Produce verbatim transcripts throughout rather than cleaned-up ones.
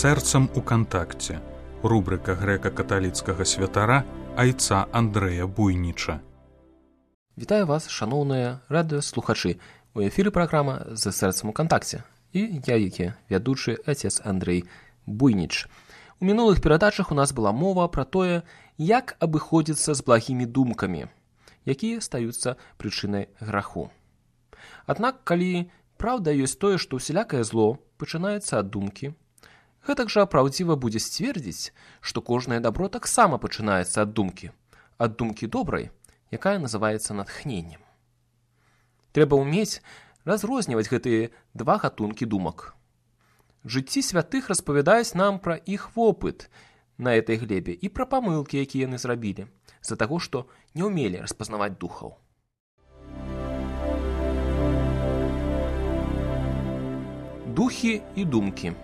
Сэрцам у кантакце. Рубрика грэка-каталіцкага святара айца Андрэя Буйніча. Вітаю вас, шаноўныя радыёслухачы. У эфіры праграма «За сэрцам у кантакце». І я, які вядучы отец Андрэй Буйніч. У мінулых перадачах у нас была мова пра тое, як абыходзіцца з благімі думкамі, якія стаюцца прычынай граху. Аднак, калі праўда ёсць тое, што ўсялякае зло пачынаецца ад думкі, гэтак жа праўдзіва будзе сцвердзіць, што кожнае дабро таксама пачынаецца ад думкі, ад думкі добрай, якая называецца натхненнем. Трэба ўмець разрозніваць гэтыя два гатункі думак. Жыцці святых распавядаюць нам пра іх вопыт на этой глебе і пра памылкі, якія яны зрабілі, з-за таго, што не ўмелі распазнаваць духаў. Духі і думкі.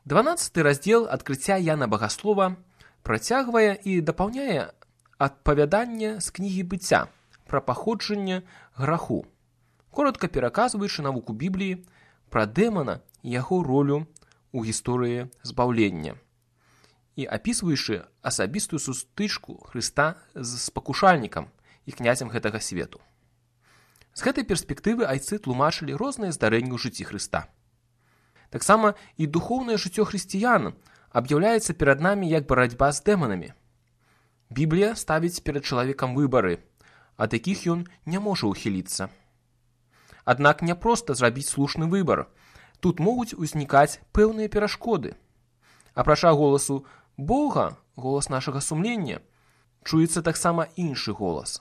дванаццаты раздзел адкрыцця Яна Багаслова працягвае і дапаўняе адпавяданне з кнігі быцця пра паходжанне граху, коратка пераказваючы навуку Бібліі пра дэмана і яго ролю ў гісторыі збаўлення і апісваючы асабістую сустычку Хрыста з спакушальнікам і князем гэтага свету. З гэтай перспектывы айцы тлумачылі розныя здарэнні ў жыцці Хрыста. Таксама і духоўнае жыццё хрысціян аб'яўляецца перад намі як барацьба з дэманамі. Біблія ставіць перад чалавекам выбары, ад якіх ён не можа ўхіліцца. Аднак не проста зрабіць слушны выбар. Тут могуць узнікаць пэўныя перашкоды. Апрача голасу Бога, голас нашага сумлення, чуецца таксама іншы голас.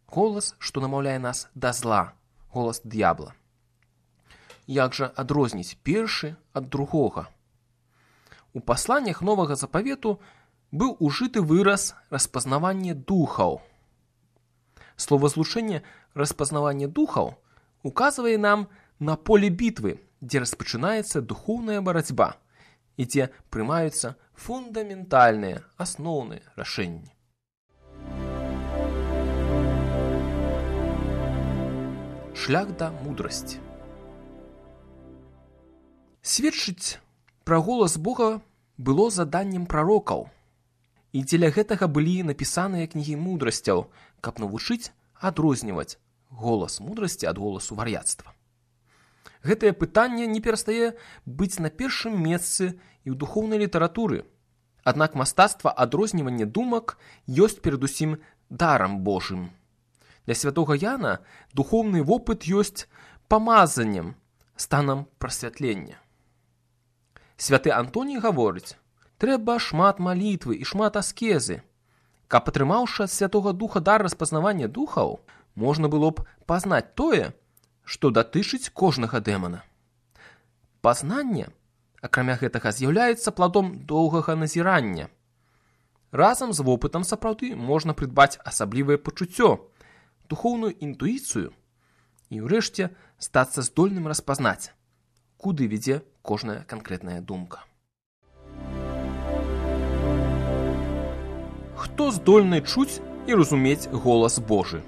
Голас, што намаўляе нас да зла, голас д'ябла. Як жа адрозніць першы ад другога? У пасланнях Новага Запавету быў ужыты выраз распазнаванне духаў. Словазлучэнне распазнаванне духаў указвае нам на поле бітвы, дзе распачынаецца духоўная барацьба і дзе прымаюцца фундаментальныя асноўныя рашэнні. Шлях да мудрасці. Сведчыць пра голас Бога было заданнем прарокаў, і дзеля гэтага былі напісаныя кнігі мудрасцяў, каб навучыць адрозніваць голас мудрасці ад голасу вар'яцтва. Гэтае пытанне не перастае быць на першым месцы і ў духоўнай літаратуры. Аднак мастацтва адрознівання думак ёсць перадусім дарам Божым. Для святога Яна духоўны вопыт ёсць памазаннем, станам прасвятлення. Святы Антоній гаворыць, трэба шмат малітвы і шмат аскезы. Каб атрымаўшы ад Святога Духа дар распазнавання духаў, можна было б пазнаць тое, што датычыць кожнага дэмана. Пазнанне, акрамя гэтага, з'яўляецца пладом доўгага назірання. Разам з вопытам сапраўды можна прыдбаць асаблівае пачуццё, духоўную інтуіцыю і, ўрэшце, стацца здольным распазнаць, куды вядзе кожная канкрэтная думка. Хто здольны чуць і разумець голас Божы?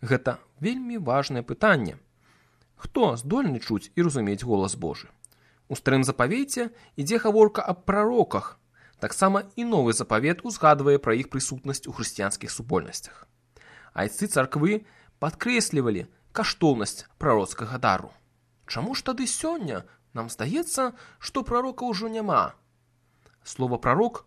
Гэта вельмі важнае пытанне. Хто здольны чуць і разумець голас Божы? У Старым Запавеце ідзе гаворка аб прароках. Таксама і Новы Запавет узгадвае пра іх прысутнасць у хрысціянскіх супольнасцях. Айцы царквы падкрэслівалі каштоўнасць прароцкага дару. Чаму ж тады сёння нам здаецца, што прарока ўжо няма? Слова «прарок»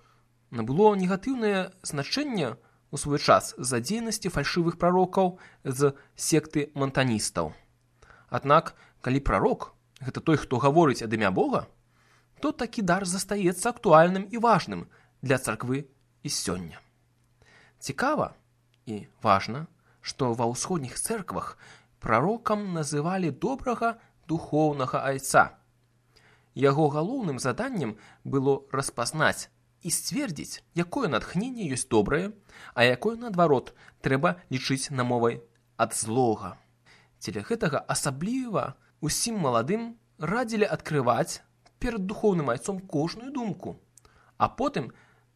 набыло негатыўнае значэнне у свой час з-за дзейнасці фальшывых прарокаў з секты монтаністаў. Аднак, калі прарок – гэта той, хто гаворыць ад імя Бога, то такі дар застаецца актуальным і важным для царквы і сёння. Цікава і важна, што ва ўсходніх цэрквах прарокам называлі добрага духоўнага айца. Яго галоўным заданнем было распазнаць і сцвердзіць, якое натхненне ёсць добрае, а якое, наадварот, трэба лічыць намовай ад злога. Дзеля гэтага асабліва усім маладым радзілі адкрываць перад духоўным айцом кожную думку, а потым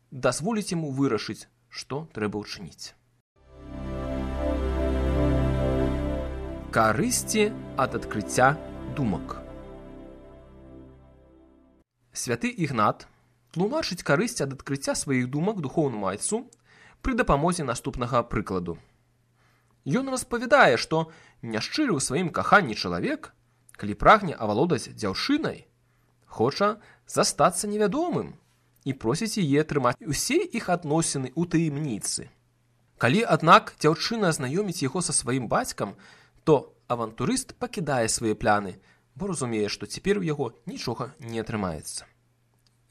дазволіць яму вырашыць, што трэба ўчыніць. Карысці ад адкрыцця думак. Святы Ігнат тлумачыць карысць ад адкрыцця сваіх думак духоўнаму айцу пры дапамозе наступнага прыкладу. Ён распавядае, што няшчыры ў сваім каханні чалавек, калі прагне авалодаць дзяўчынай, хоча застацца невядомым і просіць яе трымаць усе іх адносіны ў таямніцы. Калі, аднак, дзяўчына знаёміць яго са сваім бацькам, то авантурыст пакідае свае пляны, бо разумее, што цяпер у яго нічога не атрымаецца.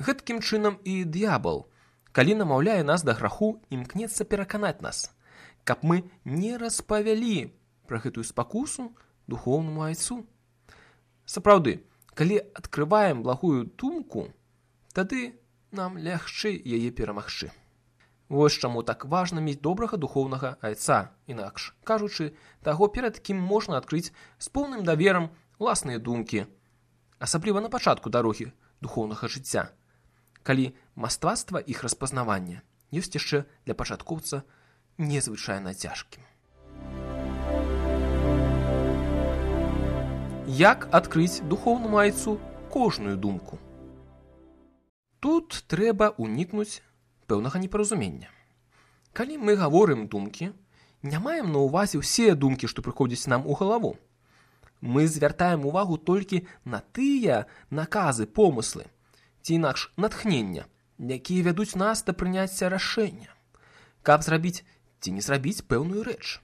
Гэткім чынам і д'ябал, калі намаўляе нас да граху, імкнецца пераканаць нас, каб мы не распавялі пра гэтую спакусу духоўнаму айцу. Сапраўды, калі адкрываем благую думку, тады нам лягчэй яе перамагчы. Вось чаму так важна мець добрага духоўнага айца, інакш кажучы, таго, перад кім можна адкрыць з поўным даверам уласныя думкі, асабліва на пачатку дарогі духоўнага жыцця, калі мастацтва іх распазнавання ёсць яшчэ для пачаткоўца незвычайна цяжкім. Як адкрыць духоўнаму айцу кожную думку? Тут трэба ўнікнуць пэўнага непаразумення. Калі мы гаворым думкі, не маем на ўвазе ўсе думкі, што прыходзяць нам у галаву. Мы звяртаем увагу толькі на тыя наказы, помыслы, ці інакш натхнення, якія вядуць нас да прыняцця рашэння, каб зрабіць ці не зрабіць пэўную рэч.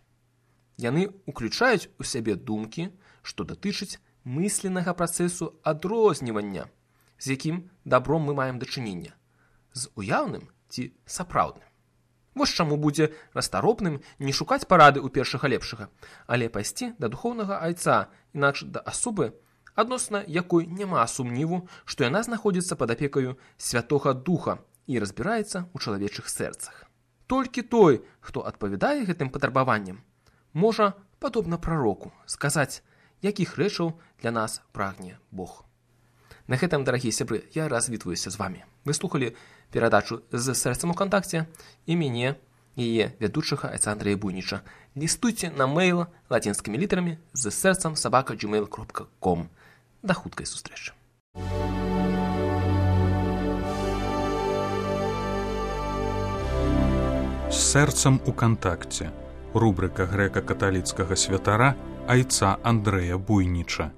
Яны ўключаюць у сябе думкі, што датычыць мысленнага працэсу адрознівання, з якім дабром мы маем дачынення, з уяўным ці сапраўдным. Вось чаму будзе расторопным не шукаць парады ў першага лепшага, але пайсці да духоўнага айца, інакш да асобы, адносна якой няма сумніву, што яна знаходзіцца пад апекаю Святога Духа і разбіраецца ў чалавечых сэрцах. Толькі той, хто адпавядае гэтым патрабаванням, можа, падобна прароку, сказаць, якіх рэчаў для нас прагне Бог. На гэтым, дарагія сябры, я развітваюся з вамі. Вы слухалі перадачу «З сэрцам у кантакце» і мяне, яе вядучага айца Андрэя Буйніча. Лістуйце на мейл лацінскімі літарамі з сэрцам сабака джимейл кропка ком. Да хуткай сустрэчы. З сэрцам у кантакце. Рубрыка грэка-каталіцкага святара айца Андрэя Буйніча.